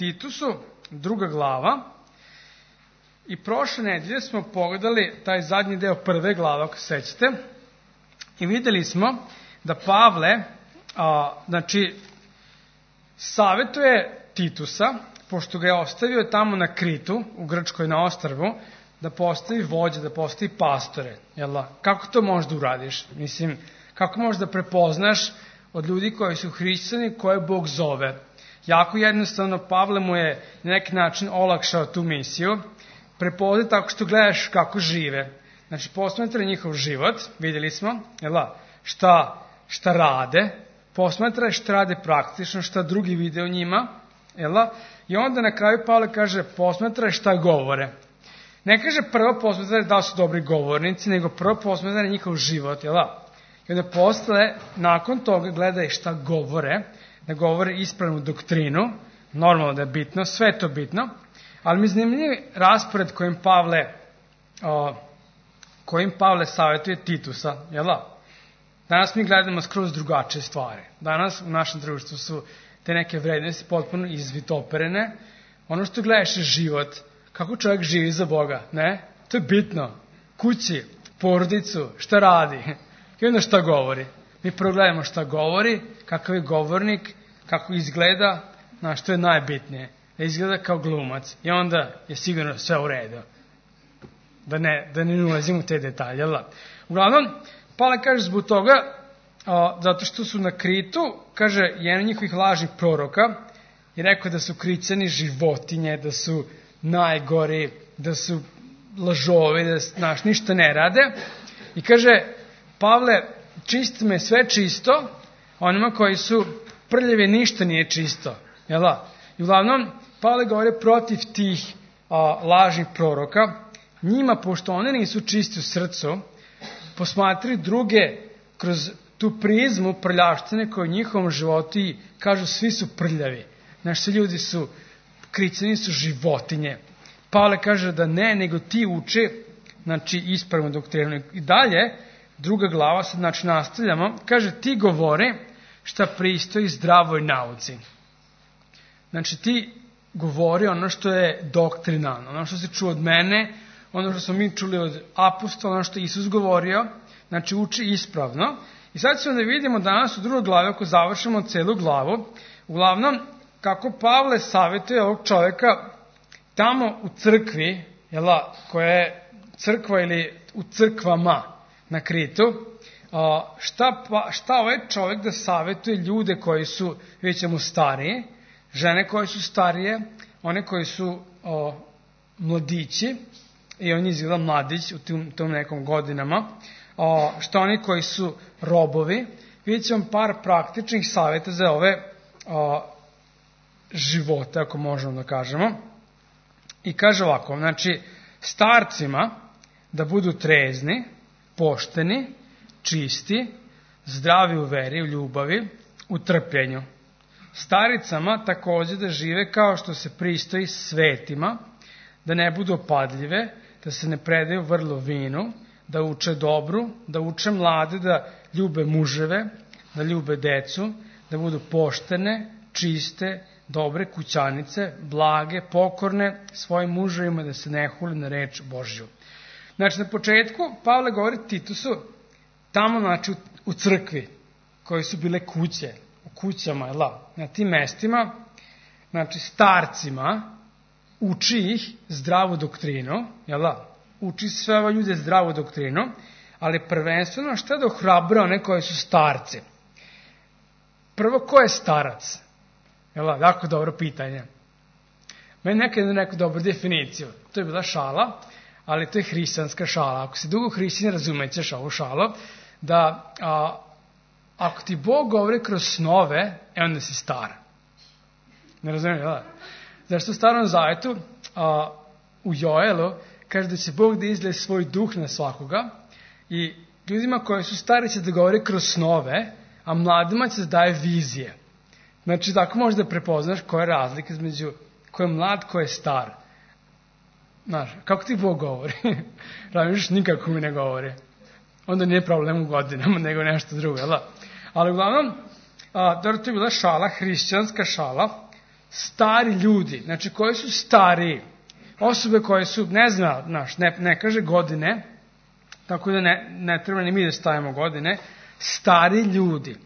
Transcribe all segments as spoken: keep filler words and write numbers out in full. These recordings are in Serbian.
Titusu, druga glava, i prošle nedelje smo pogledali taj zadnji deo prve glave, ako se sećate, i videli smo da Pavle, a, znači, savetuje Titusa, pošto ga je ostavio tamo na Kritu, u Grčkoj na ostrvu, da postavi vođe, da postavi pastore. Jel da? Kako to možeš da uradiš? Mislim, kako možeš da prepoznaš od ljudi koji su hrišćani, koje Bog zove? Jako jednostavno, Pavle mu je na neki način olakšao tu misiju, prepoznaj tako što gledaš kako žive. Znači, posmatraj njihov život, vidjeli smo, jel da? Šta, šta rade, posmatraj šta rade praktično, šta drugi vide o njima, jel da? I onda na kraju Pavle kaže, posmatraj šta govore. Ne kaže prvo posmatraj da li su dobri govornici, nego prvo posmatraj njihov život, jel da? I onda posle, nakon toga gledaj šta govore, da govore ispravnu doktrinu, normalno da je bitno, sve je to bitno, ali mi zanimljiv raspored kojim Pavle, o, kojim Pavle savjetuje Titusa, jel da? Danas mi gledamo skroz drugačije stvari. Danas u našem društvu su te neke vrednosti potpuno izvitoperene. Ono što gledaš je život, kako čovjek živi za Boga, ne? To je bitno. Kući, porodicu, šta radi i onda šta govori. Mi progledamo šta govori, kakav je govornik, kako izgleda, na što je najbitnije. Da izgleda kao glumac i onda je sigurno sve u redu. Da ne, da ne ulazim u te detalje. Uglavnom, Pavle kaže zbog toga, a, zato što su na Kritu, kaže, jedan od njihovih lažnih proroka je rekao da su Krićani životinje, da su najgori, da su lažovi, da znaš, ništa ne rade. I kaže, Pavle, čisto me sve čisto, onima koji su prljavi ništa nije čisto. Jel da? I uglavnom, Pavle govori protiv tih a, lažnih proroka. Njima, pošto one nisu čisti u srcu, posmatraju druge kroz tu prizmu prljavštine koje u njihovom životu i kažu svi su prljavi. Znaš, svi ljudi su, Krićani su životinje. Pavle kaže da ne, nego ti uče, znači, ispravnu doktrinu. I dalje, druga glava, sad znači nastavljamo, kaže ti govore šta pristoji zdravoj nauci. Znači ti govori ono što je doktrinalno, ono što se čuo od mene, ono što smo mi čuli od apostola, ono što je Isus govorio, znači uči ispravno. I sad ćemo da vidimo danas u drugoj glavi, ako završimo celu glavu, uglavnom kako Pavle savjetuje ovog čovjeka tamo u crkvi, jela, koja je crkva ili u crkvama na Kritu, šta, šta ovaj čovjek da savjetuje ljude koji su, vidjet ćemo, stariji, žene koje su starije, one koji su o, mladići, i on izgleda mladić u tom, tom nekom godinama, o, šta oni koji su robovi, vidjet ćemo par praktičnih savjeta za ove o, živote, ako možemo da kažemo. I kaže ovako, znači, starcima da budu trezni, pošteni, čisti, zdravi u veri, u ljubavi, u trpljenju. Staricama također da žive kao što se pristoji svetima, da ne budu opadljive, da se ne predaju vrlo vinu, da uče dobru, da uče mlade, da ljube muževe, da ljube decu, da budu poštene, čiste, dobre kućanice, blage, pokorne svojim muževima, da se ne hule na reč Božju. Znači, na početku Pavle govori Titusu, tamo, znači, u, u crkvi, koje su bile kuće, u kućama, jel, na tim mestima, znači, starcima, uči ih zdravu doktrinu, jel, uči sve ove ljude zdravu doktrinu, ali prvenstveno šta da ohrabre one koji su starci? Prvo, ko je starac? Jel, jako dobro pitanje. Meni nekad je neku dobru definiciju. To je bila šala, ali to je hrišćanska šala. Ako si dugo hrišćan, razumećeš ovu šalu, da a, ako ti Bog govori kroz snove, e onda si star. Ne razumijem, jel? Zašto u Starom Zavetu, a, u Joelu, kaže da će Bog da izlije svoj duh na svakoga i ljudima koji su stari će da govori kroz snove, a mladima će da daje vizije. Znači, tako možeš da prepoznaš koja je razlika između ko je mlad, ko je star. Znaš, kako ti Bog govori? Razmišljaš, nikako mi ne govori. Onda nije problem u godinama, nego nešto drugo, jel? Ali uglavnom, a, dobro, to je bila šala, hrišćanska šala, stari ljudi, znači koji su stariji, osobe koje su, ne zna, naš, ne, ne kaže godine, tako da ne, ne treba ni mi da stavimo godine, stari ljudi,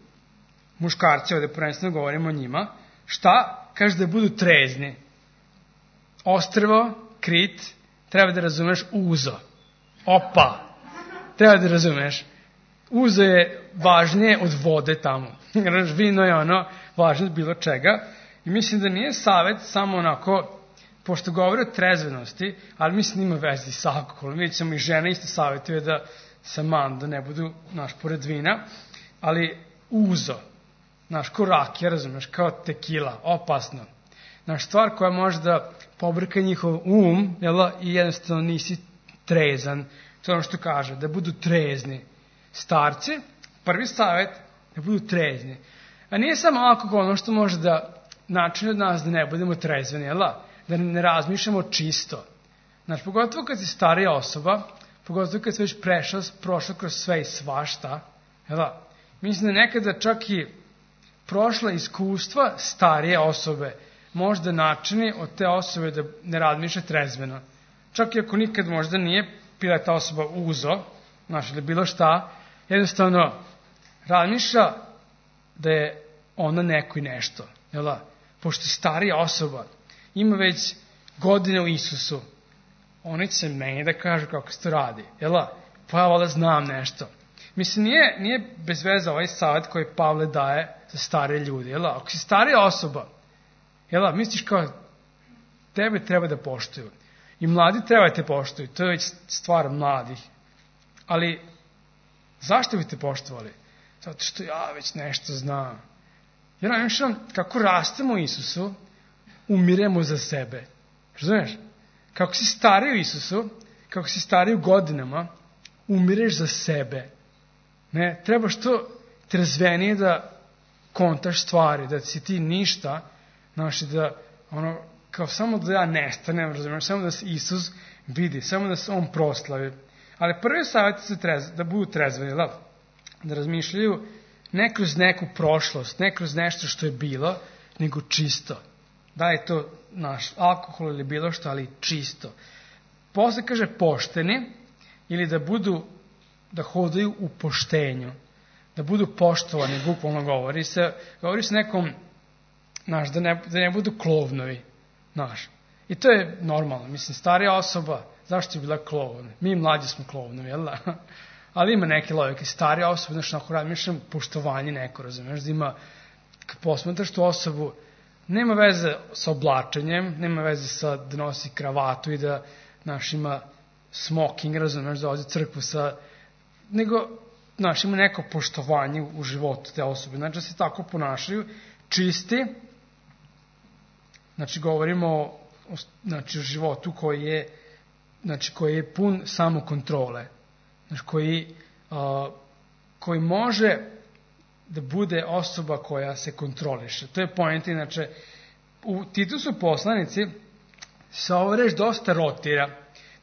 muškarci, ovde prvenstveno govorimo o njima, šta? Kaže da budu trezni. Ostrvo, Krit, treba da razumeš uzo. Opa! Treba da razumeš. Uzo je važnije od vode tamo. Vino je ono važnije od bilo čega. I mislim da nije savjet samo onako, pošto govori o trezvenosti, ali mislim da ima vezi sa alkoholom. Vidjet ćemo i žene isto savjetuje da se man, da ne budu, naš, pored vina. Ali uzo, naš, ko rakija, razumeš, kao tekila, opasno. Naš, stvar koja može da pobrka njihov um, jel, i jednostavno nisi trezan. To je ono što kaže, da budu trezni. Starci, prvi savjet, da budu trezni. A nije samo alkohol ono što može da načini od nas da ne budemo trezveni, jel, da ne razmišljamo čisto. Znači, pogotovo kad si starija osoba, pogotovo kad si već prešao, prošao kroz sve i svašta, jel, mislim da nekada čak i prošla iskustva starije osobe možda načini od te osobe da ne razmišlja trezveno. Čak i ako nikad možda nije bila ta osoba uzo, znači, ili bilo šta, jednostavno razmišlja da je ona neko i nešto. Jel? Pošto starija osoba ima već godine u Isusu, oni će se meni da kažu kako se to radi. Jel? Pa ja valjda znam nešto. Mislim, nije, nije bez veze ovaj savjet koji Pavle daje za starije ljudi. Jel? Ako si starija osoba, jel, misliš kao tebe treba da poštuju. I mladi treba da te poštuju. To je već stvar mladih. Ali zašto bi te poštovali? Zato što ja već nešto znam. Jer nam kako rastemo u Isusu, umiremo za sebe. Razumiješ? Kako si stariji u Isusu, kako si stariji u godinama, umireš za sebe. Ne, treba što trezvenije da kontaš stvari, da si ti ništa, znači da, ono, kao samo da ja nestanem, razumiješ, samo da se Isus vidi, samo da se On proslavi. Ali prvi savjet je trez, da budu trezveni, da, da razmišljaju ne kroz neku prošlost, ne kroz nešto što je bilo, nego čisto. Da je to naš alkohol ili bilo što, ali čisto. Posle kaže pošteni, ili da budu, da hodaju u poštenju, da budu poštovani, bukvalno govori se, govori se nekom, naš, da ne, da ne budu klovnovi, naš. I to je normalno, mislim, starija osoba, zašto je bila klovna? Mi mlađi smo klovnovi, jel da? Ali ima neke logike, starija osoba, znači, ako razmišljam, poštovanje neko, razumiješ, da ima, kad posmetraš tu osobu, nema veze sa oblačenjem, nema veze sa da nosi kravatu i da, znaš, ima smoking, razumiješ, da ode crkvu sa, nego, znaš, ima neko poštovanje u životu te osobe, znači da se tako ponašaju, čisti, znači govorimo o, znači, o životu koji je, znači, koji je pun samokontrole, znači, koji, a, koji može da bude osoba koja se kontroliše. To je point, inače, u Titusu poslanici se ovo reč dosta rotira,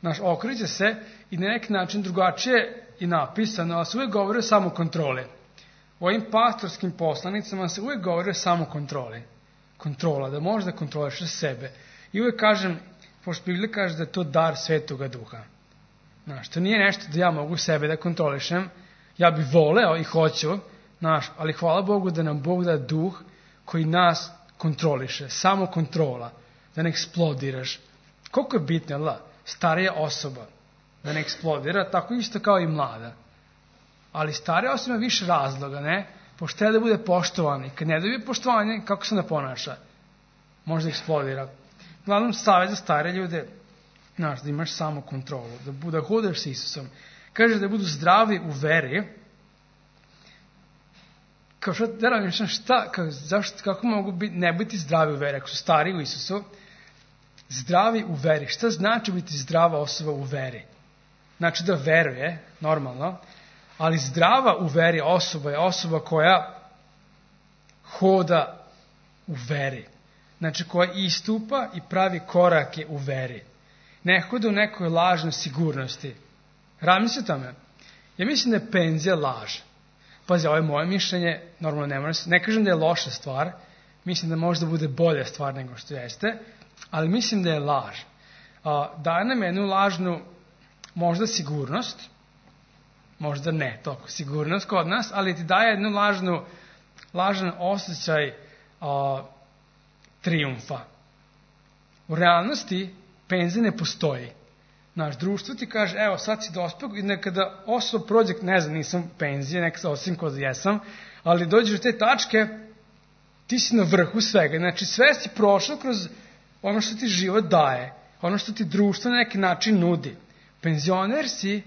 znaš, okreće se i na neki način drugačije i napisano, ali se uvijek govori o samokontroli. U ovim pastorskim poslanicama se uvijek govori o samokontroli. Kontrola, da možeš da kontrolišeš sebe. I uvijek kažem, pošto Biblija kaže da je to dar Svetoga Duha. Znaš, to nije nešto da ja mogu sebe da kontrolišem, ja bi voleo i hoću, znaš, ali hvala Bogu da nam Bog da duh koji nas kontroliše, samo kontrola, da ne eksplodiraš. Koliko je bitno, jel da, starija osoba da ne eksplodira, tako isto kao i mlada. Ali starija osoba ima više razloga, ne? Pošto treba da bude poštovani. Kad ne dobije poštovanje, kako se ne ponaša? Možda eksplodira. Glavnom, savjet za stare ljude, znaš, da imaš samo kontrolu, da, da hodeš s Isusom. Kaže da budu zdravi u veri. Kao što, da razmišljam, šta, kako, zašto, kako mogu biti, ne biti zdravi u veri, ako su stari u Isusu? Zdravi u veri. Šta znači biti zdrava osoba u veri? Znači da veruje, normalno, ali zdrava u veri osoba je osoba koja hoda u veri. Znači koja istupa i pravi korake u veri. Ne hoda u nekoj lažnoj sigurnosti. Razmisli o tome. Ja mislim da je penzija laž. Pazi, ovo je moje mišljenje, normalno ne moram se, ne kažem da je loša stvar, mislim da možda bude bolja stvar nego što jeste, ali mislim da je laž. Daje nam jednu lažnu, možda sigurnost, možda ne toliko sigurnost kod nas, ali ti daje jednu lažnu, lažan osjećaj a, trijumfa. U realnosti penzija ne postoji. Naš društvo ti kaže, evo sad si dospeo i nekada osoba prođe, ne znam, nisam penzije, nekada osim kod jesam, ali dođeš do te tačke, ti si na vrhu svega. Znači sve si prošao kroz ono što ti život daje, ono što ti društvo na neki način nudi. Penzioner si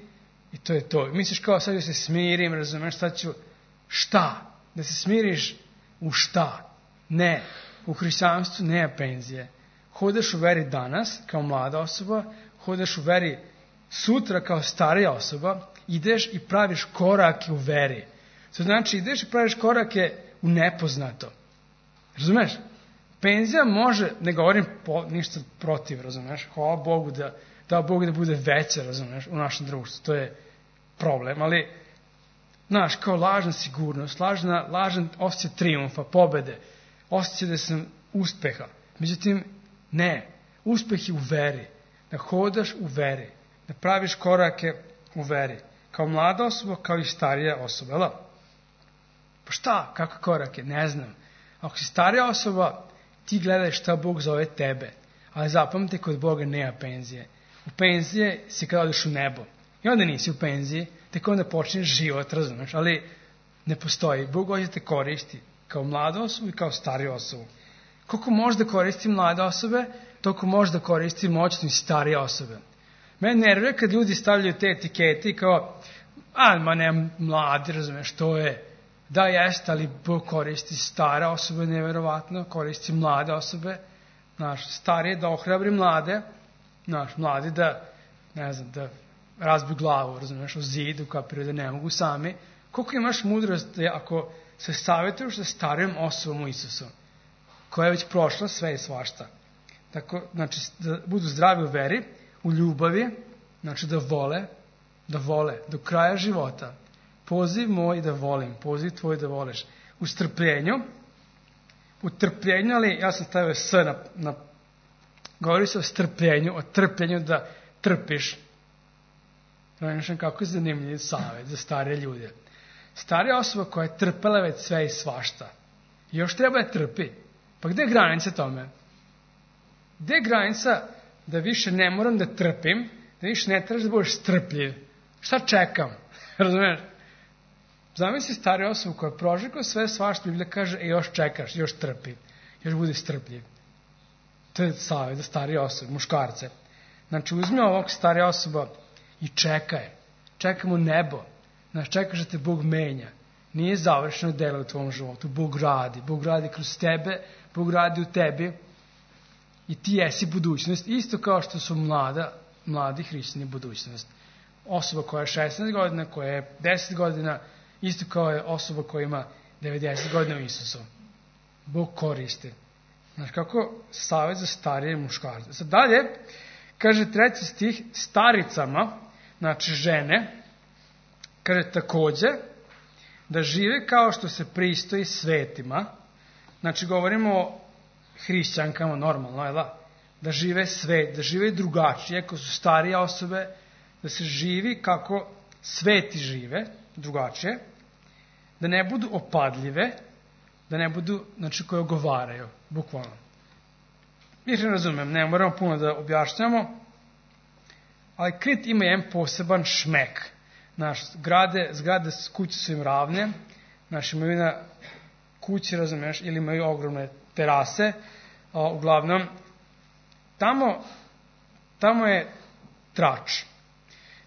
i to je to. Misliš kao sad da se smirim, razumeš, sad ću šta? Da se smiriš u šta? Ne. U hrišćanstvu nema penzije. Hodeš u veri danas kao mlada osoba, hodeš u veri sutra kao starija osoba, ideš i praviš korake u veri. To znači ideš i praviš korake u nepoznato. Razumeš? Penzija može, ne govorim po, ništa protiv, razumeš? Hvala Bogu da, da Bog da bude veća, razumeš, u našem društvu. To je problem, ali znaš, kao lažna sigurnost, lažna, lažan osjećaj trijumfa, pobede, osjećaj da sam uspeha. Međutim, ne, uspeh je u veri, da hodaš u veri, da praviš korake u veri, kao mlada osoba, kao i starija osoba, jel? Pa šta, kakve korake, ne znam. Ako si starija osoba, ti gledaj šta Bog zove tebe, ali zapamti, kod Boga nema penzije. U penzije si kada odeš u nebo. I onda nisi u penziji, tek onda počneš život, razumeš, ali ne postoji. Bog hoće te koristi kao mlada osoba i kao stariju osobu. Koliko može da koristi mlade osobe, toliko može da koristi moćno i starije osobe. Mene nervira kad ljudi stavljaju te etikete i kao, a, ma ne, mladi, razumeš, to je, da jeste, ali Bog koristi stare osobe, nevjerovatno, koristi mlade osobe, znaš, starije da ohrabri mlade, znaš, mladi da, ne znam, da razbiju glavu, razumeš, o zidu, kapiraju da ne mogu sami. Koliko imaš mudrost da ako se savjetuješ sa starijom osobom u Isusu, koja je već prošla sve i svašta. Tako, znači, da budu zdravi u veri, u ljubavi, znači da vole, da vole do kraja života. Poziv moj da volim, poziv tvoj da voliš. U strpljenju, u trpljenju, ali ja sam stavio s na, na govori se o strpljenju, o trpljenju da trpiš. Znači, kako je zanimljiv savjet za stare ljude. Starija osoba koja je trpela već sve i svašta. I još treba da trpi. Pa gde je granica tome? Gde je granica da više ne moram da trpim, da više ne trebaš da budeš strpljiv? Šta čekam? Razumiješ? Zamisli stariju osobu koja je prožekla sve svašta, Biblija kaže, e, još čekaš, još trpi, još budi strpljiv. To je savjet za starije osobe, muškarce. Znači, uzmi ovog starija osoba i čekaj. Čekaj mu nebo. Znači, čekaš da te Bog menja. Nije završeno delo u tvom životu. Bog radi. Bog radi kroz tebe, Bog radi u tebi i ti jesi budućnost. Isto kao što su mlada, mladi hrišćani budućnost. Osoba koja je šesnaest godina, koja je deset godina, isto kao je osoba koja ima devedeset godina u Isusu. Bog koristi. Znači, kako savjet za starije muškarce. Sad dalje, kaže treći stih, staricama, znači žene, kaže takođe, da žive kao što se pristoji svetima. Znači, govorimo o hrišćankama normalno, je da? Da žive svet, da žive drugačije, ako su starije osobe, da se živi kako sveti žive, drugačije, da ne budu opadljive, da ne budu, znači, koje ogovaraju, bukvalno. Mi ne razumem, ne moramo puno da objašnjamo, ali Krit ima jedan poseban šmek. Naš, zgrade, zgrade kuće su im ravne, naši imaju na kući, razumiješ, ili imaju ogromne terase, a, uglavnom, tamo, tamo je trač,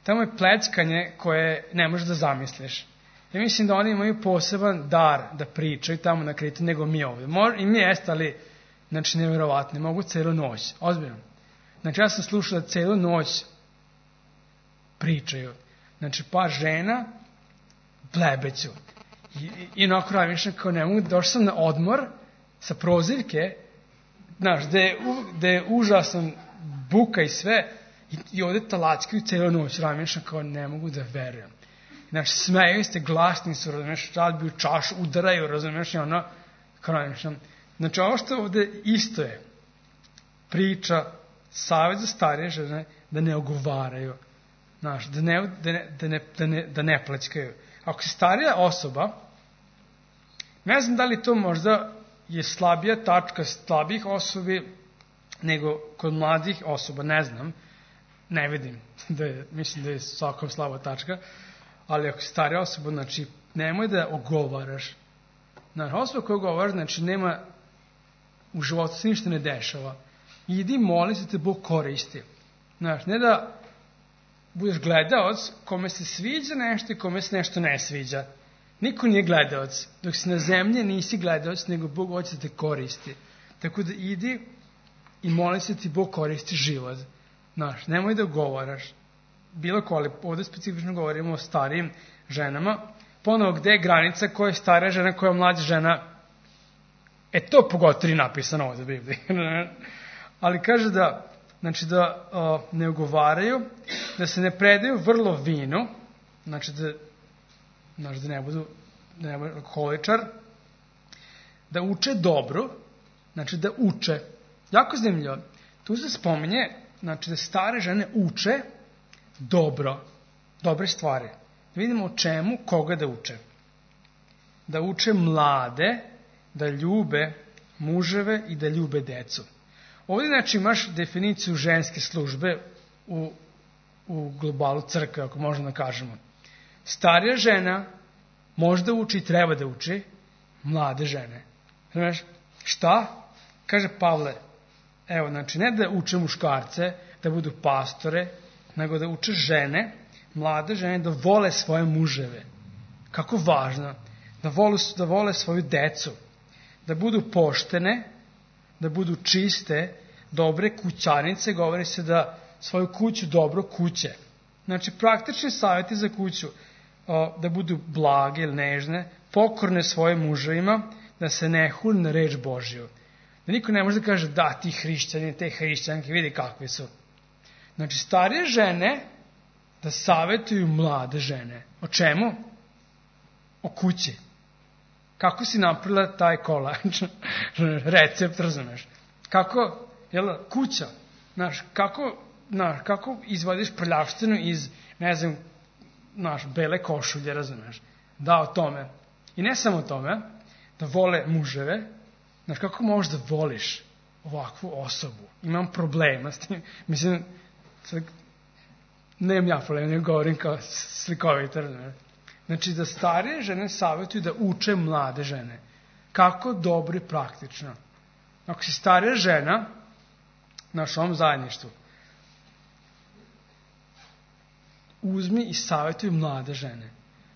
tamo je pleckanje koje ne možeš da zamisliš. Ja mislim da oni imaju poseban dar da pričaju tamo na Kritu nego mi ovdje. I mi jeste, ali, znači, nevjerovatno, mogu celu noć, ozbiljno. Znači, ja sam slušao da celu noć pričaju. Znači, pa žena blebeću. I, i, i onako ravišem kao ne mogu, došao sam na odmor sa prozivke, znaš, gde je, gde je užasan buka i sve, i, i ovdje talackaju celu noć, ravišem kao ne mogu da verujem. Znači, smeju ste, glasni su, razumiješ, razbiju čašu, udaraju, razumiješ, i ono, kao ravišem, Znači, ovo što ovde isto je priča, savjet za starije žene da ne ogovaraju, znaš, da ne, da ne, da ne, da ne, da ne pleckaju. Ako si starija osoba, ne znam da li to možda je slabija tačka slabih osobi nego kod mladih osoba, ne znam, ne vidim, da je, mislim da je svakom slaba tačka, ali ako si starija osoba, znači, nemoj da ogovaraš. Znači, osoba koja ogovara, znači, nema, u životu se ništa ne dešava. Idi moli se te Bog koristi. Znači, ne da budeš gledaoc kome se sviđa nešto i kome se nešto ne sviđa. Niko nije gledaoc. Dok si na zemlji nisi gledaoc, nego Bog hoće da te koristi. Tako da idi i moli se ti Bog koristi život. Znaš, nemoj da govaraš. Bilo ko, ali ovdje specifično govorimo o starijim ženama. Ponovo, gde je granica koja je stara žena, koja je mlađa žena? E, to pogotovo je napisano ovdje u Bibliji. Ali kaže da, znači da o, ne ugovaraju, da se ne predaju vrlo vinu, znači da, znači da ne budu, da ne budu alkoholičar, da uče dobro, znači da uče. Jako zanimljivo. Tu se spominje, znači da stare žene uče dobro, dobre stvari. Da vidimo o čemu, koga da uče. Da uče mlade, da ljube muževe i da ljube decu. Ovdje, znači, imaš definiciju ženske službe u, u globalu crkve, ako možemo da kažemo. Starija žena može da uči i treba da uči mlade žene. Znaš, šta? Kaže Pavle, evo, znači, ne da uče muškarce, da budu pastore, nego da uče žene, mlade žene, da vole svoje muževe. Kako važno. Da vole, da vole svoju decu. Da budu poštene, da budu čiste, dobre kućanice, govori se da svoju kuću dobro kuće. Znači, praktični savjeti za kuću, da budu blage ili nežne, pokorne svojim muževima, da se ne huli na reč Božju. Da niko ne može da kaže, da, ti hrišćani, te hrišćanke, vidi kakvi su. Znači, starije žene da savjetuju mlade žene. O čemu? O kući. Kako si napravila taj kolač? Recept, razumeš? Kako, jel, kuća, znaš, kako, znaš, kako izvadiš prljavštinu iz, ne znam, znaš, bele košulje, razumeš? Da, o tome. I ne samo o tome, da vole muževe, znaš, kako možeš da voliš ovakvu osobu? Imam problema s tim, mislim, nemam ja problema, ne govorim kao slikovito, razumeš? Znači, da starije žene savjetuju da uče mlade žene. Kako dobro i praktično. Ako si starija žena, na ovom zajedništvu, uzmi i savjetuj mlade žene.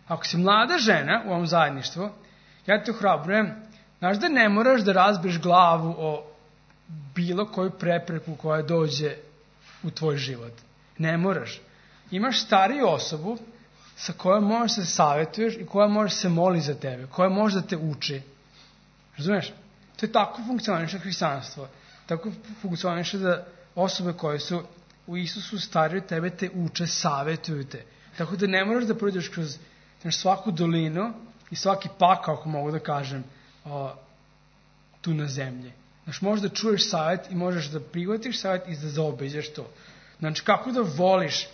Ako si mlada žena u ovom zajedništvu, ja te ohrabrujem, znaš da ne moraš da razbiješ glavu o bilo koju prepreku koja dođe u tvoj život. Ne moraš. Imaš stariju osobu sa kojom možeš se savjetuješ i koja može se moli za tebe, koja može da te uči. Razumeš? To je tako funkcioniše hrišćanstvo. Tako funkcioniše da osobe koje su u Isusu starije od tebe te uče, savjetuju te. Tako da ne moraš da prođeš kroz znaš, svaku dolinu i svaki pakao, ako mogu da kažem, o, tu na zemlji. Znaš, možeš da čuješ savjet i možeš da prihvatiš savjet i da zaobiđeš to. Znači, kako da voliš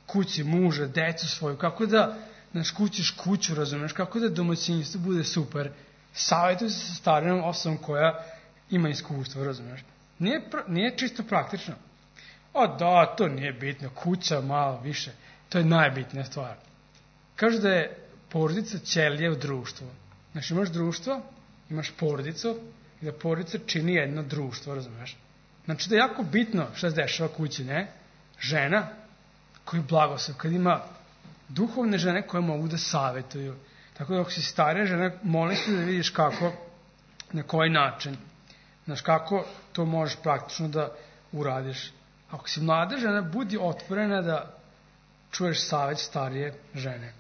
kući, muža, decu svoju, kako da znaš, kućiš kuću, razumeš, kako da domaćinstvo bude super. Savjetuj se sa starijom osobom koja ima iskustvo, razumeš. Nije, nije čisto praktično. O da, to nije bitno, kuća malo više, to je najbitnija stvar. Kažu da je porodica ćelija u društvu. Znači imaš društvo, imaš porodicu i da porodica čini jedno društvo, razumeš. Znači da je jako bitno šta se dešava kući, ne? Žena koji blagoslov, kad ima duhovne žene koje mogu da savjetuju. Tako da ako si starija žena, molim se da vidiš kako, na koji način, znaš kako to možeš praktično da uradiš. Ako si mlada žena, budi otvorena da čuješ savjet starije žene.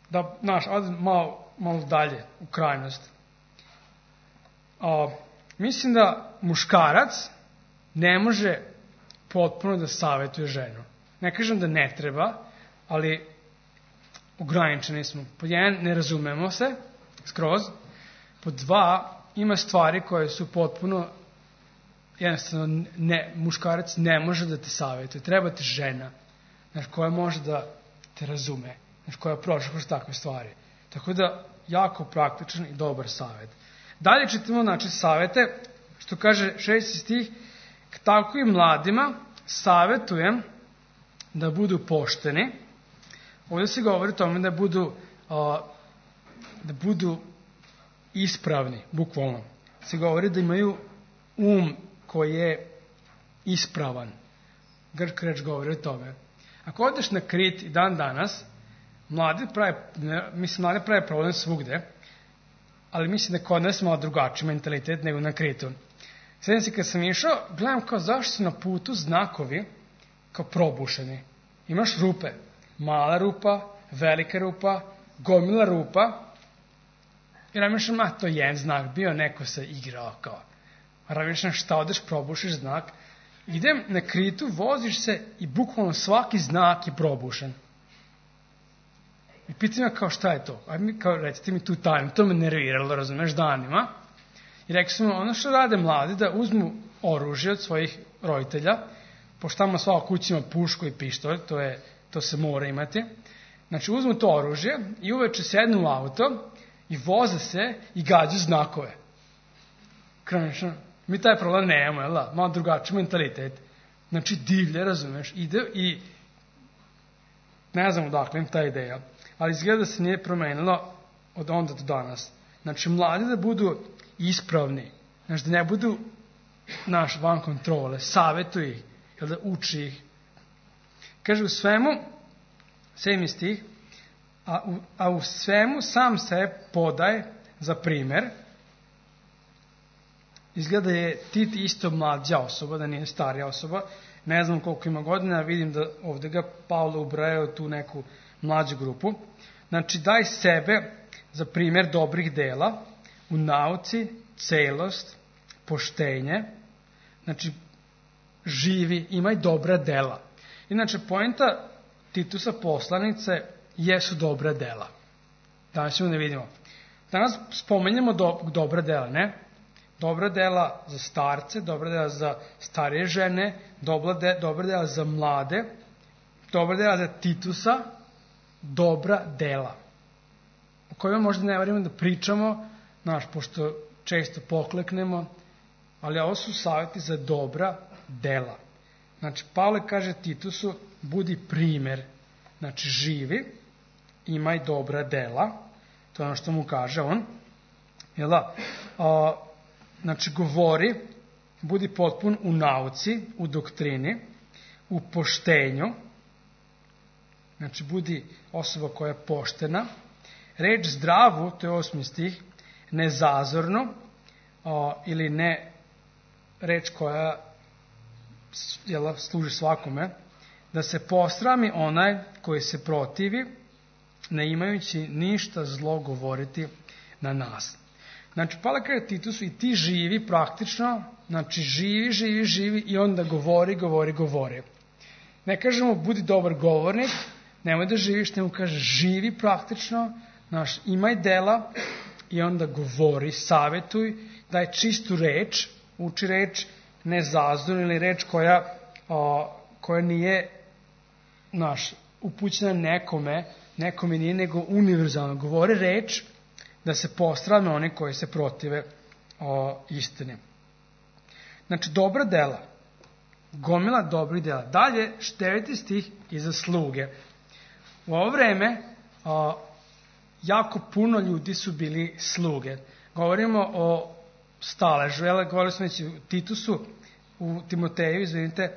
Da, znaš, odi malo, malo dalje, u krajnost. A, mislim da muškarac ne može potpuno da savjetuje ženu. Ne kažem da ne treba, ali ograničeni smo. Pod jedan, ne razumemo se skroz. Po dva, ima stvari koje su potpuno, jednostavno, ne, muškarac ne može da te savjetuje. Treba ti žena, znaš, koja može da te razume, znaš, koja prošla kroz takve stvari. Tako da, jako praktičan i dobar savjet. Dalje čitamo, znači, savjete, što kaže šesti stih, tako i mladima savjetujem da budu pošteni. Ovdje se govori o tome da budu, a, da budu ispravni, bukvalno. Se govori da imaju um koji je ispravan. Grčka reč govori o tome. Ako odeš na Krit i dan danas, mladi prave, mislim, mladi prave problem svugde, ali mislim da kod nas malo drugačiji mentalitet nego na Kritu. Sjećam se kad sam išao, gledam kao zašto su na putu znakovi kao probušeni. Imaš rupe, mala rupa, velika rupa, gomila rupa, i razmišljam, a to je jedan znak, bio neko se igrao kao. Razmišljam, šta odeš, probušiš znak. Idem na Kritu, voziš se i bukvalno svaki znak je probušen. I pitam ja kao šta je to? Ajde mi kao recite mi tu tajnu, to me nerviralo, razumeš, danima. I rekli smo, ono što rade mladi, da uzmu oružje od svojih roditelja, pošto tamo svaka kuća ima pušku i pištolj, to, je, to se mora imati. Znači uzmu to oružje i uveče sednu u auto i voze se i gađaju znakove. Kranično, mi taj problem nemamo, jel da? Malo drugačiji mentalitet. Znači divlje, razumeš, ide i ne znam odakle im ta ideja, ali izgleda da se nije promenilo od onda do danas. Znači mladi da budu ispravni, znači da ne budu naš van kontrole, savjetuj ih, jel da uči ih. Kaže u svemu, sedmi stih, a u, a u svemu sam se podaj za primer. Izgleda je Tit isto mlađa osoba, da nije starija osoba. Ne znam koliko ima godina, vidim da ovdje ga Pavle ubraja u tu neku mlađu grupu. Znači daj sebe za primjer dobrih dela u nauci, celost, poštenje. Znači živi, imaj dobra dela. Inače, poenta Titusa poslanice jesu dobra dela. Danas ćemo ne vidimo. Danas spomenjamo do, dobra dela, ne? Dobra dela za starce, dobra dela za starije žene, dobra, de, dobra dela za mlade, dobra dela za Titusa, dobra dela. O kojima možda ne varimo da pričamo, znaš, pošto često pokleknemo, ali ovo su savjeti za dobra dela. Znači, Pavle kaže Titusu, budi primer, znači živi, imaj dobra dela, to je ono što mu kaže on, jel da? A, znači, govori, budi potpun u nauci, u doktrini, u poštenju, znači, budi osoba koja je poštena, reč zdravu, to je osmi stih, nezazorno, a, ili ne reč koja jel, služi svakome, da se posrami onaj koji se protivi, ne imajući ništa zlo govoriti na nas. Znači, Pavle kaže Titusu i ti živi praktično, znači živi, živi, živi i onda govori, govori, govori. Ne kažemo budi dobar govornik, nemoj da živiš, nego kaže živi praktično, znači imaj dela i onda govori, savjetuj, daj čistu reč, uči reč nezazornu ili reč koja, o, koja nije naš, upućena nekome, nekome nije nego univerzalno. Govori reč da se postrame oni koji se protive o, istini. Znači, dobra dela. Gomila dobrih dela. Dalje, deveti stih i za sluge. U ovo vreme o, jako puno ljudi su bili sluge. Govorimo o staležu, jel, govorili smo već u Titusu, u Timoteju, izvinite,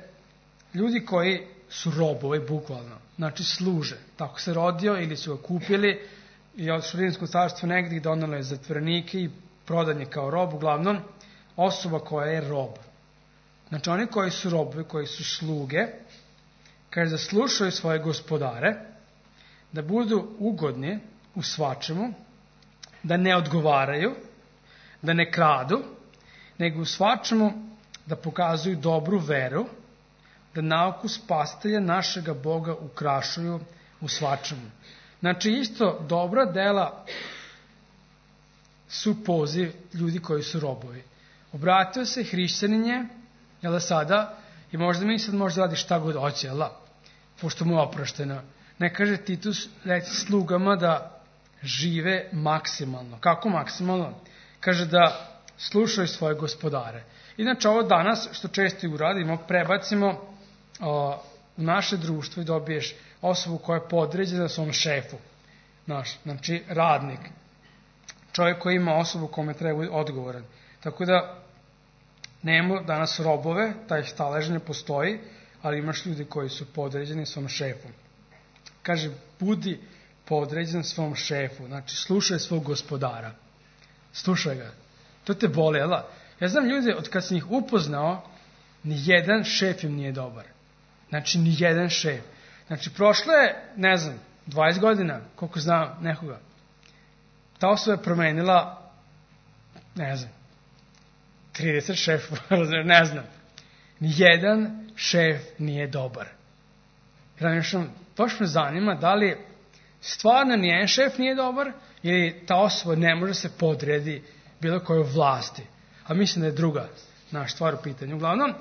ljudi koji su robovi, bukvalno, znači služe. Tako se rodio ili su ga kupili i od Rimsko carstvo negdje donalo je zatvorenike i prodan je kao rob, uglavnom osoba koja je rob. Znači oni koji su robovi, koji su sluge, kaže da slušaju svoje gospodare, da budu ugodni u svačemu, da ne odgovaraju, da ne kradu, nego u svačemu da pokazuju dobru veru, da nauku spasitelja našega Boga ukrašuju u svačemu. Znači isto dobra dela su poziv ljudi koji su robovi. Obratio se hrišćanin je, jel da sada, i možda mi sad može da radi šta god hoće, jel da, pošto mu je oprošteno. Ne kaže Titus, reci slugama da žive maksimalno. Kako maksimalno? Kaže da slušaju svoje gospodare. Inače, ovo danas, što često i uradimo, prebacimo o, u naše društvo i dobiješ osobu koja je podređena svom šefu. Naš, znači, radnik. Čovjek koji ima osobu kome treba odgovoran. Tako da, nema danas robove, taj stalež ne postoji, ali imaš ljudi koji su podređeni svom šefu. Kaže, budi podređen svom šefu, znači slušaj svog gospodara. Slušaj ga. To te boli, jel? Ja znam ljude, od kad sam ih upoznao, ni jedan šef im nije dobar. Znači, ni jedan šef. Znači, prošlo je, ne znam, dvadeset godina, koliko znam nekoga. Ta osoba je promenila, ne znam, trideset šefova, ne znam. Nijedan šef nije dobar. Razmišljam, baš me zanima da li stvarno nijedan šef nije dobar ili ta osoba ne može se podredi bilo kojoj vlasti. A mislim da je druga naša stvar u pitanju. Uglavnom,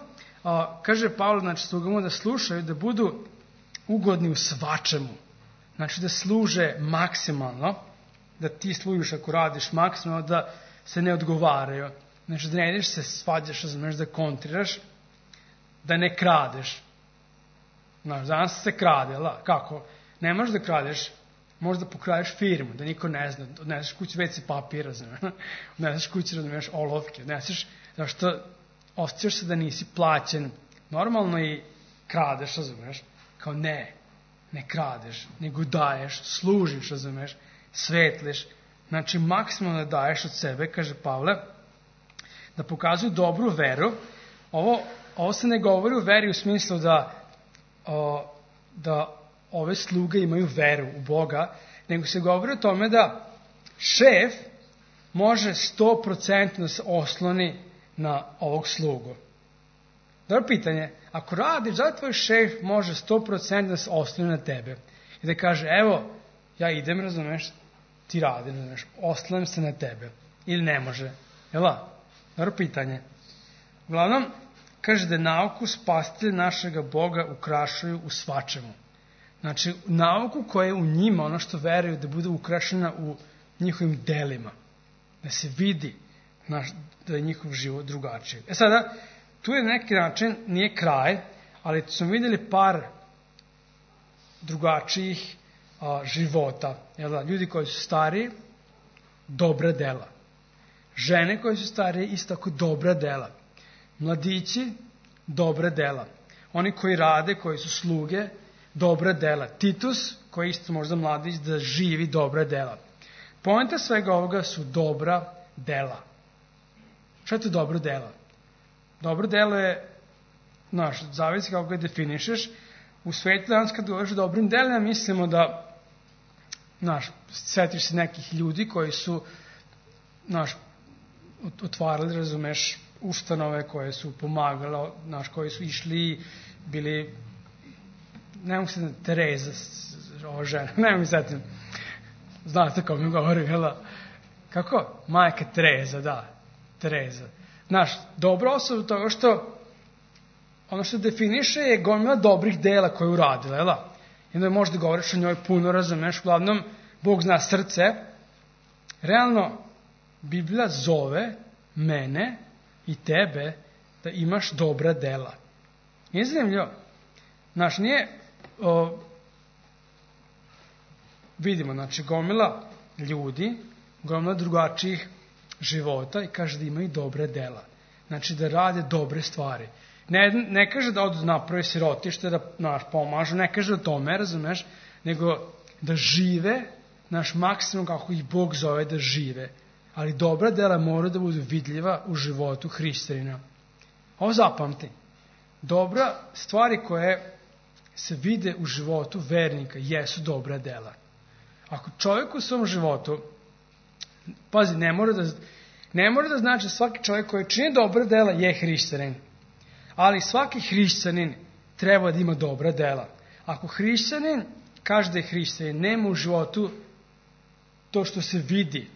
a, kaže Pavle, znači slugama da slušaju, da budu ugodni u svačemu. Znači da služe maksimalno, da ti služiš ako radiš maksimalno, da se ne odgovaraju. Znači da ne ideš se svađaš, znaš, da kontriraš, da ne kradeš. Znaš, danas se krade, la, kako? Ne možeš da kradeš, možeš da pokradeš firmu, da niko ne zna, odneseš kući ve ce papira, znaš, odneseš kući, razumiješ, olovke, odneseš, zašto osjećaš se da nisi plaćen, normalno i kradeš, razumiješ, kao ne, ne kradeš, nego daješ, služiš, razumiješ, svetliš, znači maksimalno da daješ od sebe, kaže Pavle, da pokazuju dobru veru. Ovo, ovo se ne govori u veri u smislu da, o, da ove sluge imaju veru u Boga, nego se govori o tome da šef može sto procenti da se osloni na ovog slugu. Dobro pitanje, ako radiš, da tvoj šef može sto procenti da se osloni na tebe i da kaže, evo, ja idem, razumeš, ti radi, razumeš, oslanjam se na tebe. Ili ne može. Jela? Dobro pitanje. Uglavnom, kaže da nauku spasitelja našega Boga ukrašuju u svačemu. Znači, nauku koja je u njima, ono što veruju, da bude ukrašena u njihovim delima. Da se vidi naš, da je njihov život drugačiji. E sada, tu je neki način, nije kraj, ali smo vidjeli par drugačijih a, života. Jel, ljudi koji su stariji, dobra dela. Žene koje su starije, isto tako dobra dela. Mladići, dobra dela. Oni koji rade, koji su sluge, dobra dela. Titus, koji isto možda mladić, da živi dobra dela. Poenta svega ovoga su dobra dela. Šta je to dobro dela? Dobro delo je, znaš, zavisi kako ga definišeš. U svetu danas kad govoriš o dobrim delima, mislimo da, znaš, setiš se nekih ljudi koji su, znaš, otvarali, razumeš, ustanove koje su pomagale, znaš, koji su išli, bili, ne mogu se da Tereza, ova žena, ne mogu se da, znate kako mi govori, jel? Kako? Majka Tereza, da, Tereza. Znaš, dobra osoba toga što, ono što definiše je gomila dobrih dela koje je uradila, jel? I onda možda govoriš o njoj puno, razumeš, uglavnom, Bog zna srce. Realno, Biblija zove mene i tebe da imaš dobra dela. Nije zanimljivo. Znaš, nije, o, vidimo, znači, gomila ljudi, gomila drugačijih života i kaže da imaju dobre dela. Znači, da rade dobre stvari. Ne, ne kaže da odu napravi sirotište, da naš pomažu, ne kaže o tome, razumeš, nego da žive, naš maksimum kako ih Bog zove da žive. Ali dobra dela mora da budu vidljiva u životu hrišćanina. Ovo zapamti. Dobra stvari koje se vide u životu vernika jesu dobra dela. Ako čovjek u svom životu, pazi, ne mora da, ne mora da znači svaki čovjek koji čini dobra dela je hrišćanin. Ali svaki hrišćanin treba da ima dobra dela. Ako hrišćanin kaže da je hrišćanin, nema u životu to što se vidi,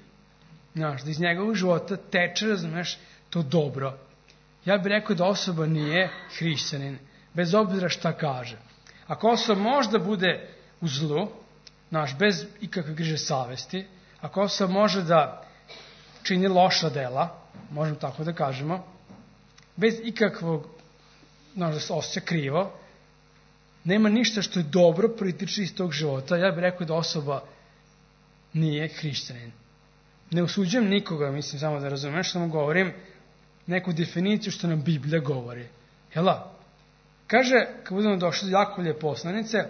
Znaš, da iz njegovog života teče, razumeš, to dobro. Ja bih rekao da osoba nije hrišćanin, bez obzira šta kaže. Ako osoba možda bude u zlu, znaš, bez ikakve griže savesti, ako osoba može da čini loša dela, možemo tako da kažemo, bez ikakvog, znaš, da se osjeća krivo, nema ništa što je dobro proitiče iz tog života, ja bih rekao da osoba nije hrišćanin. Ne osuđujem nikoga, mislim samo da razumeš, samo govorim neku definiciju što nam Biblija govori. Jela? Kaže, kad budemo došli do Jakovlje poslanice,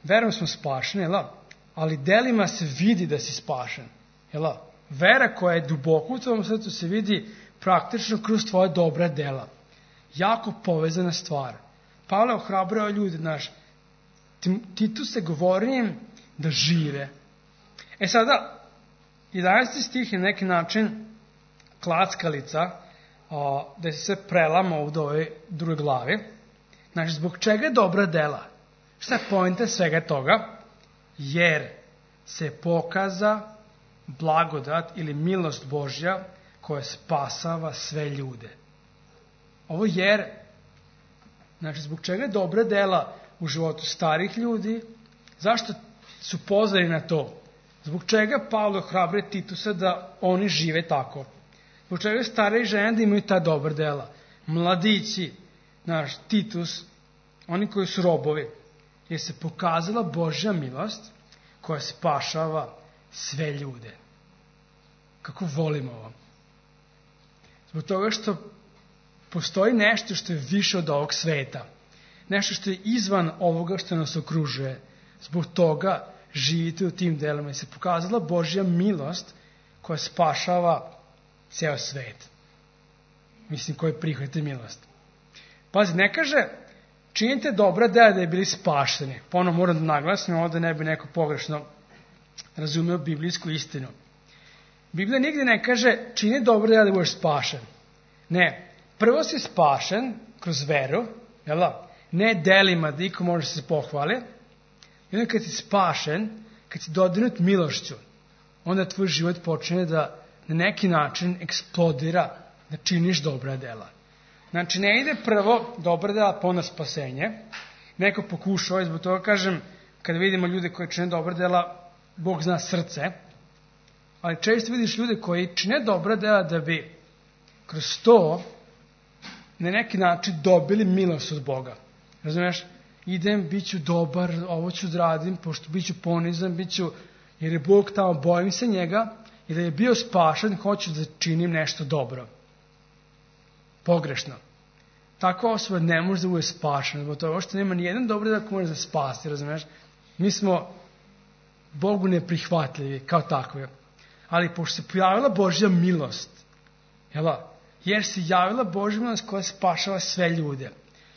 verom smo spašeni, jela? Ali delima se vidi da si spašen. Jela? Vera koja je duboko u tvojom srcu se vidi praktično kroz tvoje dobra dela. Jako povezana stvar. Pavle ohrabrao ljude, znaš, Titu se govori im da žive. E sada, jedanaesti stih je na neki način klackalica, o, da se sve prelama ovdje u ovoj drugoj glavi. Znači, zbog čega je dobra dela? Šta je poenta svega toga? Jer se pokaza blagodat ili milost Božja koja spasava sve ljude. Ovo jer, znači, zbog čega je dobra dela u životu starih ljudi? Zašto su pozvani na to? Zbog čega Pavle ohrabruje Titusa da oni žive tako? Zbog čega stariji žene da imaju ta dobra dela? Mladići, naš Titus, oni koji su robovi, jer se pokazala Božja milost koja spašava sve ljude. Kako volimo ovo. Zbog toga što postoji nešto što je više od ovog sveta. Nešto što je izvan ovoga što nas okružuje. Zbog toga živite u tim delima i se pokazala Božja milost koja spašava ceo svet. Mislim, koji prihvatite milost. Pazi, ne kaže činite dobra dela da je bili spašeni. Ponovno moram da naglasim, ovdje ne bi neko pogrešno razumeo biblijsku istinu. Biblija nigdje ne kaže čini dobra dela da budeš spašen. Ne, prvo si spašen kroz veru, jel da? Ne delima da iko može se pohvali. I onda kad si spašen, kad si dodirnut milošću, onda tvoj život počne da na neki način eksplodira, da činiš dobra dela. Znači, ne ide prvo dobra dela, pa onda spasenje. Neko pokušao, i zbog toga kažem, kada vidimo ljude koji čine dobra dela, Bog zna srce, ali često vidiš ljude koji čine dobra dela da bi kroz to na neki način dobili milost od Boga. Razumiješ? Idem, bit ću dobar, ovo ću da radim, pošto bit ću ponizan, bit ću, jer je Bog tamo, bojim se njega, i da je bio spašen, hoću da činim nešto dobro. Pogrešno. Takva osoba ne može da bude spašena, zbog toga što nema nijedan dobro da može da spasti, razumiješ? Mi smo Bogu neprihvatljivi kao takve. Ali pošto se pojavila Božja milost, jela, jer se javila Božja milost koja spašava sve ljude.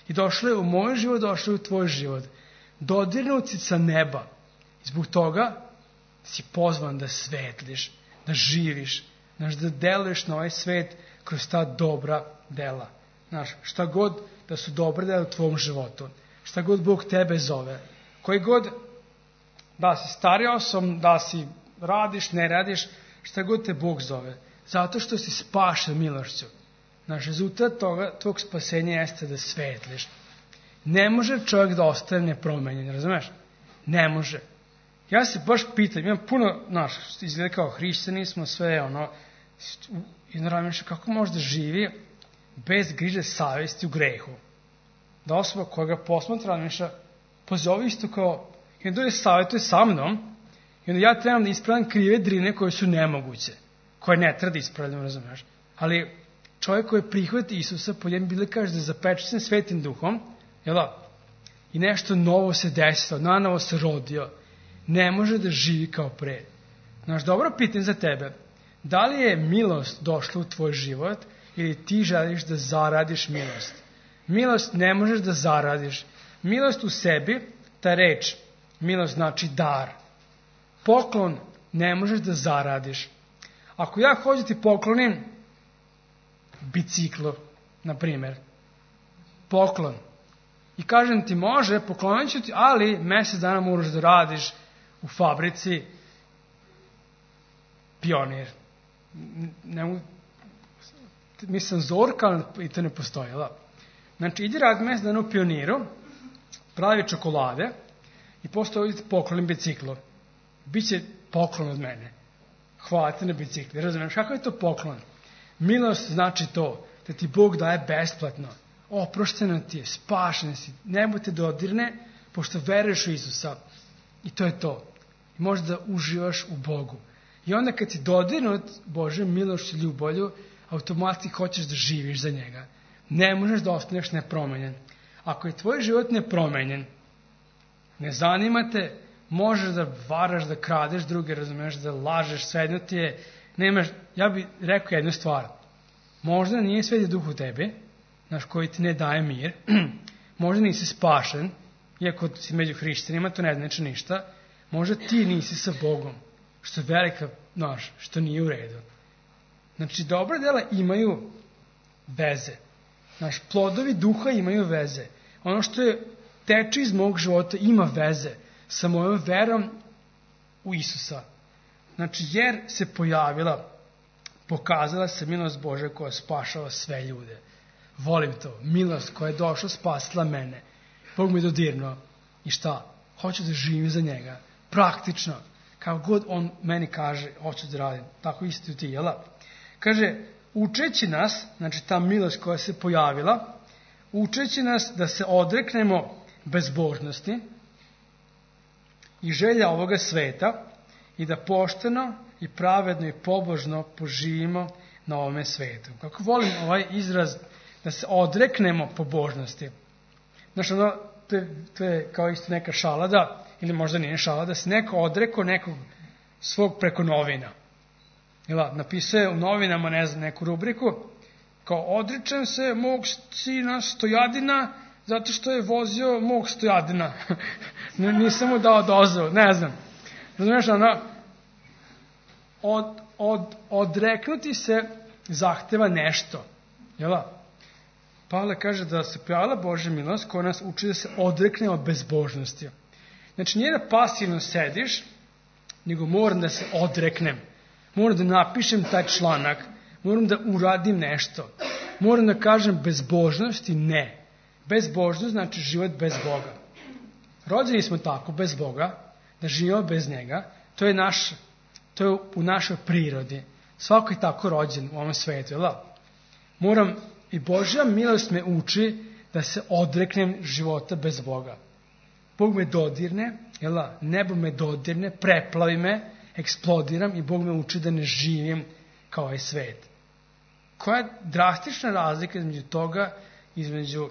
I došlo je u moj život, došlo je u tvoj život. Dodirnut si sa neba. I zbog toga si pozvan da svetliš, da živiš, znaš, da deluješ na ovaj svet kroz ta dobra dela. Znaš, šta god da su dobre dela u tvom životu, šta god Bog tebe zove, koji god da si stari osob, da si radiš, ne radiš, šta god te Bog zove, zato što si spašen milošću. Znaš, rezultat toga, tvog spasenja jeste da svetliš. Ne može čovjek da ostane nepromenjen, razumeš? Ne može. Ja se baš pitam, imam puno, znaš, izgleda kao hrišćani smo, sve ono, i naravno kako može da živi bez griže savjesti u grehu. Da osoba koja ga posmatra, miša, pozove isto kao, i onda je savjetuje sa mnom, i onda ja trebam da ispravljam krive drine koje su nemoguće, koje ne treba da ispravljam, razumeš? Ali čovjek koji prihvati Isusa, po njemu Biblija kaže da je zapečaćen Svetim Duhom, jel da? I nešto novo se desilo, nanovo se rodio, ne može da živi kao pre. Znaš, dobro pitanje za tebe, da li je milost došla u tvoj život ili ti želiš da zaradiš milost? Milost ne možeš da zaradiš. Milost u sebi, ta reč, milost znači dar. Poklon ne možeš da zaradiš. Ako ja hoću ti poklonim biciklo, na primjer, poklon, i kažem ti može, poklonit ću ti, ali mjesec dana moraš da radiš u fabrici Pionir. ne mogu, mislim zorka, ali i to ne postoji. Da? Znači, idi rad mesec dana u Pioniru, pravi čokolade i posle ovdje poklonim biciklo. Biće poklon od mene. Hvala te na bicikli. Razumiješ, kako je to poklon? Milost znači to, da ti Bog daje besplatno. Oprošteno ti je, spašen si, nebo te dodirne, pošto veruješ u Isusa. I to je to. I možeš da uživaš u Bogu. I onda kad si dodirnut Božjom milošću i ljubavlju, automatski hoćeš da živiš za njega. Ne možeš da ostaneš nepromenjen. Ako je tvoj život nepromenjen, ne zanima te, možeš da varaš, da kradeš druge, razumiješ, da lažeš, svejedno ti je, nemaš, ja bih rekao jednu stvar. Možda nije Sveti Duh u tebi, znaš, koji ti ne daje mir, možda nisi spašen, iako si među hrišćanima, to ne znači ništa, možda ti nisi sa Bogom, što je velika, znaš, što nije u redu. Znači, dobra dela imaju veze. Znaš, plodovi duha imaju veze. Ono što je teče iz mog života ima veze sa mojom verom u Isusa. Znači, jer se pojavila, pokazala se milost Božja koja spašava sve ljude. Volim to. Milost koja je došla, spasila mene. Bog mi je dodirnuo. I šta? Hoću da živim za njega. Praktično. Kako god on meni kaže, hoću da radim. Tako isto ti, jel? Kaže, učeći nas, znači ta milost koja se pojavila, učeći nas da se odreknemo bezbožnosti i želja ovoga sveta i da pošteno i pravedno i pobožno poživimo na ovome svetu. Kako volim ovaj izraz da se odreknemo pobožnosti. Znači, ono, to, je, to je kao isto neka šala da, ili možda nije šala, da se neko odreko nekog svog preko novina. Jela, napisuje u novinama, ne znam, neku rubriku, kao odričem se mog sina Stojadina zato što je vozio mog Stojadina. Nisam mu dao dozvolu, ne znam. Razumiješ, ono, od, od, odreknuti se zahteva nešto. Jela? Pavle kaže da se pojavila Božja milost koja nas uči da se odrekne od bezbožnosti. Znači, nije da pasivno sediš, nego moram da se odreknem. Moram da napišem taj članak, moram da uradim nešto. Moram da kažem bezbožnosti ne. Bezbožnost znači život bez Boga. Rođeni smo tako, bez Boga, da živimo bez njega. To je, naš, to je u našoj prirodi. Svako je tako rođen u ovom svetu. Jel? Moram, i Božja milost me uči da se odreknem života bez Boga. Bog me dodirne, jel? Nebo me dodirne, preplavi me, eksplodiram i Bog me uči da ne živim kao ovaj svet. Koja je drastična razlika između toga, između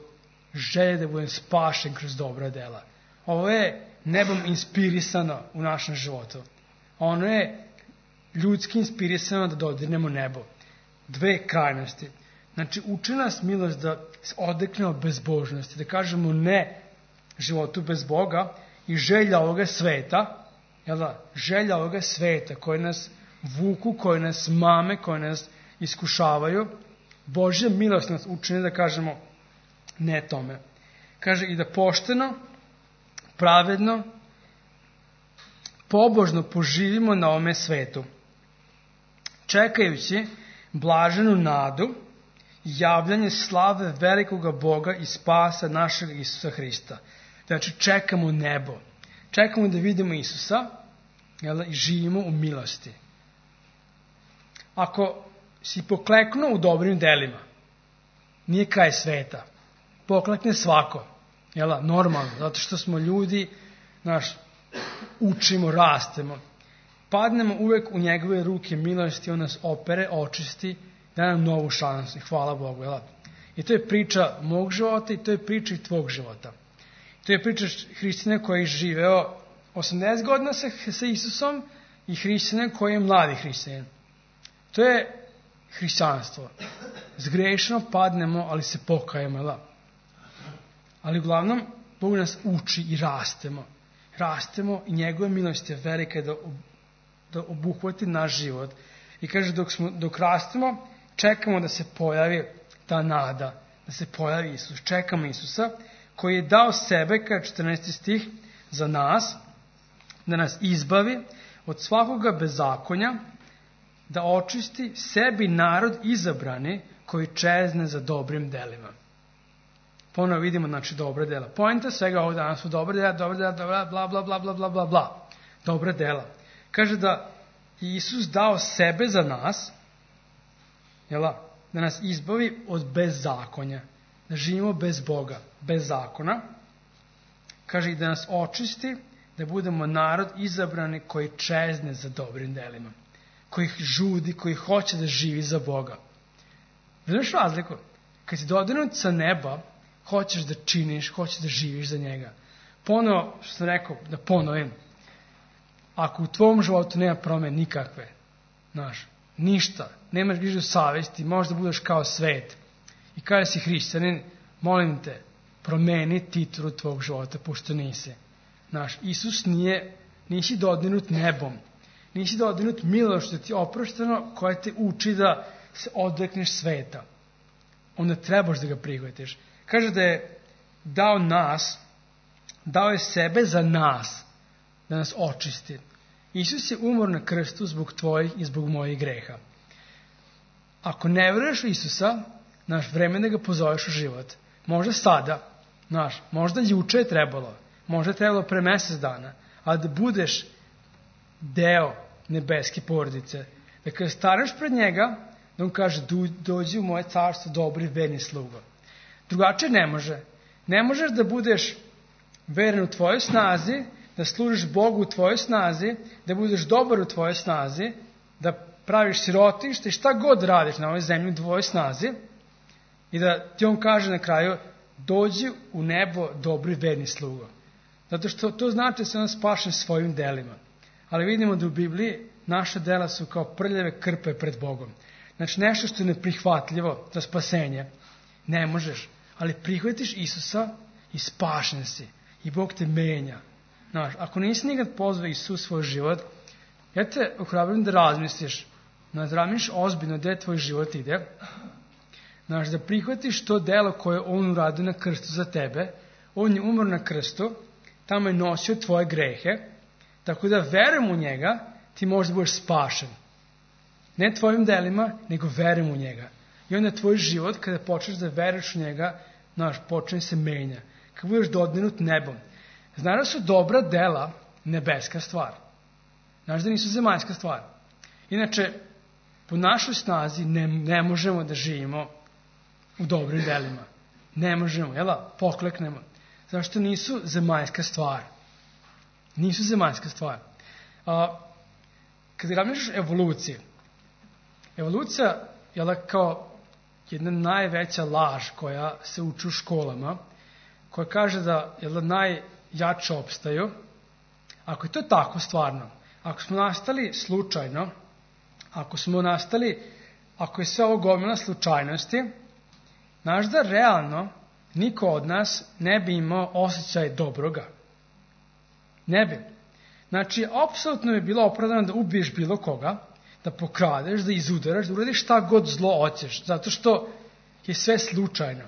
želje da budem spašen kroz dobra dela. Ovo je nebom inspirisano u našem životu. Ono je ljudski inspirisano da dodirnemo nebo. Dve krajnosti. Znači, uči nas milost da se odreknemo bezbožnosti, da kažemo ne životu bez Boga i želja ovoga sveta, jel da, želja ovoga sveta koje nas vuku, koje nas mame, koje nas iskušavaju, Božja milost nas učini da kažemo ne tome. Kaže i da pošteno, pravedno, pobožno poživimo na ovome svetu, čekajući blaženu nadu i javljanje slave velikoga Boga i spasa našeg Isusa Hrista. Znači, čekamo nebo. Čekamo da vidimo Isusa, jel, i živimo u milosti. Ako si pokleknuo u dobrim delima, nije kraj sveta. Poklekne svako. Jel, normalno, zato što smo ljudi, naš, učimo, rastemo. Padnemo uvek u njegove ruke milosti, on nas opere, očisti, da nam novu šansu. Hvala Bogu. Jel? I to je priča mog života i to je priča i tvog života. To je priča hrišćanina koji je živeo osamdeset godina sa, sa Isusom i hrišćanina koji je mladi hrišćanin. To je hrišćanstvo. Zgrešeno padnemo, ali se pokajemo. Jel? Ali uglavnom, Bog nas uči i rastemo. Rastemo i njegove milost je velika da, da obuhvati naš život. I kaže, dok, smo, dok rastemo, čekamo da se pojavi ta nada, da se pojavi Isus. Čekamo Isusa koji je dao sebe, kaže četrnaesti stih, za nas, da nas izbavi od svakoga bezakonja da očisti sebi narod izabrani koji čezne za dobrim delima. Ponovo vidimo, znači, dobra dela. Poenta svega ovdje danas su dobra dela, dobra dela, dobra, bla, bla, bla, bla, bla, bla, bla. Dobra dela. Kaže da Isus dao sebe za nas, jela, da nas izbavi od bezzakonja, da živimo bez Boga, bez zakona. Kaže i da nas očisti, da budemo narod izabrani koji čezne za dobrim delima, koji žudi, koji hoće da živi za Boga. Znaš razliku? Kad si dodirnut sa neba, hoćeš da činiš, hoćeš da živiš za njega. Ponovo, što sam rekao, da ponovim, ako u tvom životu nema promene nikakve, znaš, ništa, nemaš grižu savesti, možda budeš kao svet i kada si hrišćanin, molim te, promeni titulu tvog života, pošto nisi. Znaš, Isus nije, nisi dodirnut nebom, nisi dodirnut milošću ti oprošteno koja te uči da se odrekneš sveta. Onda trebaš da ga prihvatiš. Kaže da je dao nas, dao je sebe za nas, da nas očisti. Isus je umor na krstu zbog tvojih i zbog mojih greha. Ako ne veruješ u Isusa, naš vreme da ga pozoveš u život. Možda sada, naš, možda juče je trebalo, možda je trebalo pre mesec dana, ali da budeš deo nebeske porodice. Da kada staneš pred njega, da on kaže, dođi u moje carstvo, dobri, verni slugo. Drugačije ne može. Ne možeš da budeš veren u tvojoj snazi, da služiš Bogu u tvojoj snazi, da budeš dobar u tvojoj snazi, da praviš sirotište i šta god radiš na ovoj zemlji u tvojoj snazi i da ti on kaže na kraju, dođi u nebo, dobri, verni slugo. Zato što to znači da se on spašen svojim delima. Ali vidimo da u Bibliji naša dela su kao prljave krpe pred Bogom. Znači nešto što je neprihvatljivo za spasenje. Ne možeš. Ali prihvatiš Isusa i spašen si. I Bog te menja. Znaš, ako nisi nikad pozvao Isus svoj život, ja te ohrabrujem da razmisliš. Da razmisliš ozbiljno gde tvoj život ide. Znaš, da prihvatiš to delo koje on uradio na krstu za tebe. On je umro na krstu, tamo je nosio tvoje grehe. Tako da verujem u njega, ti možda budeš spašen. Ne tvojim delima, nego verujem u njega. I onda tvoj život, kada počneš da veruješ u njega, znaš, počne se menja. Kad budeš dodirnut nebom. Znaš da su dobra dela nebeska stvar. Znaš da nisu zemaljska stvar. Inače, po našoj snazi ne, ne možemo da živimo u dobrim delima. Ne možemo, jela, pokleknemo. Zašto nisu zemaljska stvar? Nisu zemaljska stvar. A, kada razmišljaš o evoluciji, evolucija je kao jedna najveća laž koja se uči u školama, koja kaže da je najjače opstaju. Ako je to tako stvarno, ako smo nastali slučajno, ako smo nastali, ako je sve ovo gomila slučajnosti, znaš da realno niko od nas ne bi imao osjećaj dobroga. Ne bi. Znači, apsolutno je bilo opravdano da ubiješ bilo koga, da pokradeš, da izudaraš, da uradiš šta god zlo hoćeš, zato što je sve slučajno.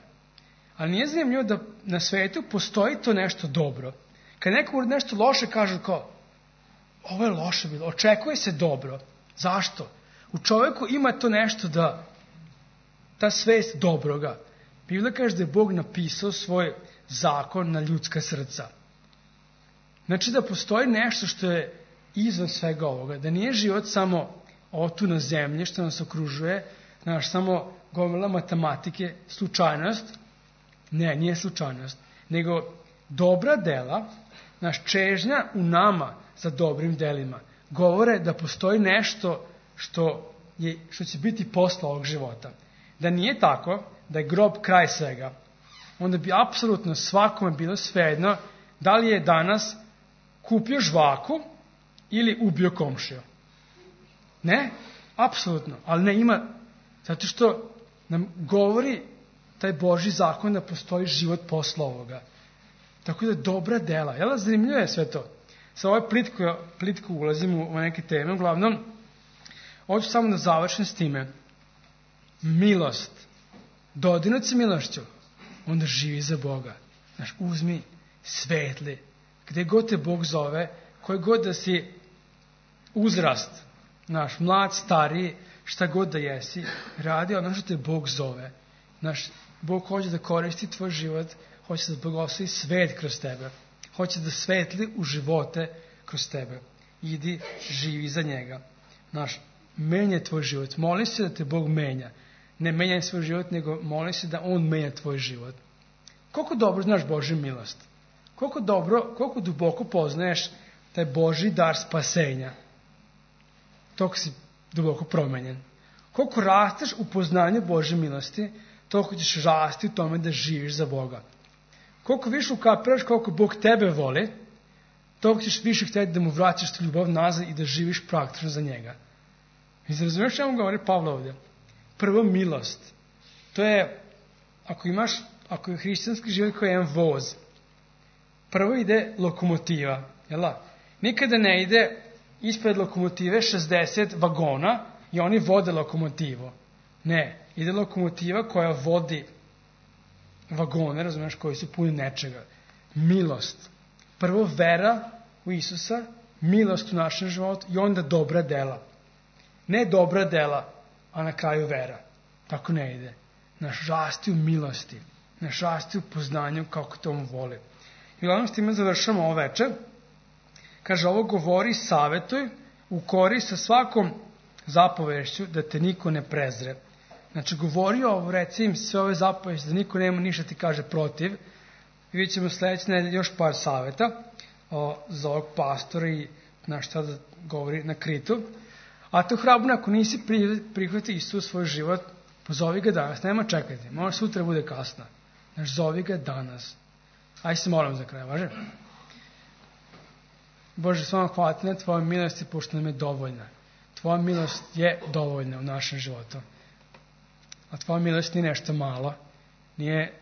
Ali nije zanimljivo da na svetu postoji to nešto dobro. Kad neko uradi nešto loše, kažu kao, ovo je loše bilo, očekuje se dobro. Zašto? U čoveku ima to nešto da, ta svest dobroga. Biblia kaže da je Bog napisao svoj zakon na ljudska srca. Znači da postoji nešto što je izvan svega ovoga. Da nije život samo ovo tu na zemlji što nas okružuje, znaš, samo gomila matematike, slučajnost. Ne, nije slučajnost. Nego dobra dela, naš čežnja u nama za dobrim delima, govore da postoji nešto što, je, što će biti posle ovog života. Da nije tako, da je grob kraj svega, onda bi apsolutno svakome bilo svejedno da li je danas kupio žvaku ili ubio komšiju. Ne, apsolutno, ali ne ima, zato što nam govori taj Božji zakon da postoji život posle ovoga. Tako da dobra dela, jel, zanimljivo je sve to. Sa ovoj plitko, plitko ulazim u, u neke teme, uglavnom, hoću samo da završim s time. Milost. Dodirnut se milošću, onda živi za Boga. Znaš, uzmi, svetli, gde god te Bog zove, koji god da si uzrast, Naš mlad, stariji, šta god da jesi, radi ono što te Bog zove. Naš Bog hoće da koristi tvoj život, hoće da blagoslovi svet kroz tebe. Hoće da svetli u živote kroz tebe. Idi, živi za njega. Naš, menja tvoj život. Moli se da te Bog menja. Ne menjaj svoj život, nego moli se da On menja tvoj život. Koliko dobro znaš Božju milost? Koliko dobro, koliko duboko poznaješ taj Božji dar spasenja? Toliko si duboko promenjen. Koliko rasteš u poznanju Božje milosti, toliko ćeš rasti u tome da živiš za Boga. Koliko više ukapiraš koliko Bog tebe voli, toliko ćeš više htjeti da mu vraćaš ljubav nazad i da živiš praktično za njega. I razumiješ što vam govori Pavle ovdje? Prvo milost. To je, ako imaš, ako je hrišćanski život koji je jedan voz, prvo ide lokomotiva, jel da? Nikada ne ide ispred lokomotive šezdeset vagona i oni vode lokomotivu. Ne, ide lokomotiva koja vodi vagone, razumiješ, koji su puni nečega. Milost. Prvo vera u Isusa, milost u našem životu i onda dobra dela. Ne dobra dela, a na kraju vera. Tako ne ide. Naš rasti u milosti. Naš rasti u poznanju kako to on voli. I uglavnom s time završamo ovo večer. Kaže, ovo govori, savjetuj, ukori sa svakom zapovešću da te niko ne prezre. Znači, govori ovo, reci im sve ove zapovesti, da niko nema ništa ti kaže protiv. I vidjet ćemo sljedeće nedelje još par savjeta o, za ovog pastora i na šta da govori na Kritu. A to hrabro, ako nisi prihvati Isus u svoj život, pozovi ga danas, nema čekati, možda sutra bude kasno. Znači, zovi ga danas. Aj se molim za kraj, važe? Bože, s vama hvala ti na tvojoj milosti, pošto nam je dovoljna. Tvoja milost je dovoljna u našem životu. A tvoja milost nije nešto malo, nije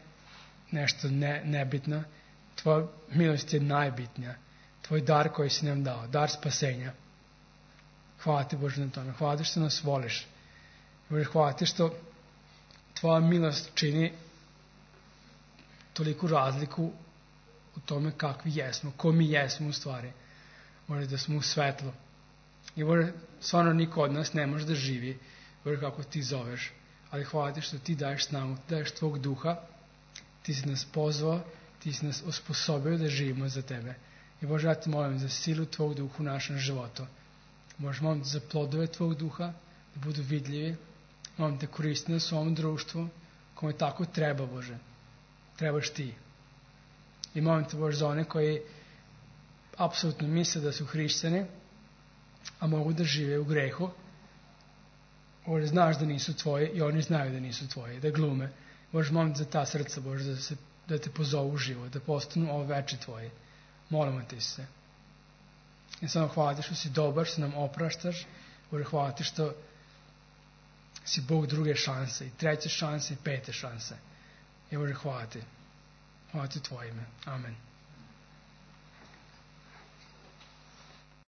nešto ne, nebitno. Tvoja milost je najbitnija. Tvoj dar koji si nam dao, dar spasenja. Hvala ti, Bože, na tome. Hvala ti što nas voliš. Bože, hvala ti što tvoja milost čini toliku razliku u tome kakvi jesmo, ko mi jesmo u stvari. Bože, da smo u svetlu. I Bože, stvarno niko od nas ne može da živi, Bože, kako ti zoveš. Ali hvala ti što ti daješ snagu, ti daješ tvog duha, ti si nas pozvao, ti si nas osposobio da živimo za tebe. I Bože, ja te molim za silu tvog duha u našem životu. Bože, molim te za plodove tvog duha, da budu vidljivi. Molim te koristi na svom društvu, kome tako treba, Bože. Trebaš ti. I molim te, Bože, za one koji apsolutno misle da su hrišćani, a mogu da žive u grehu. Bože, znaš da nisu tvoji i oni znaju da nisu tvoji, da glume. Bože, molim te za ta srca, Bože, da, se, da te pozovu u život, da postanu ovo veče tvoji. Molimo ti se. I samo hvala ti što si dobar, što nam opraštaš. Bože, hvala ti što si Bog druge šanse, i treće šanse, i pete šanse. I Bože, hvala ti. Hvala ti tvoje ime. Amen.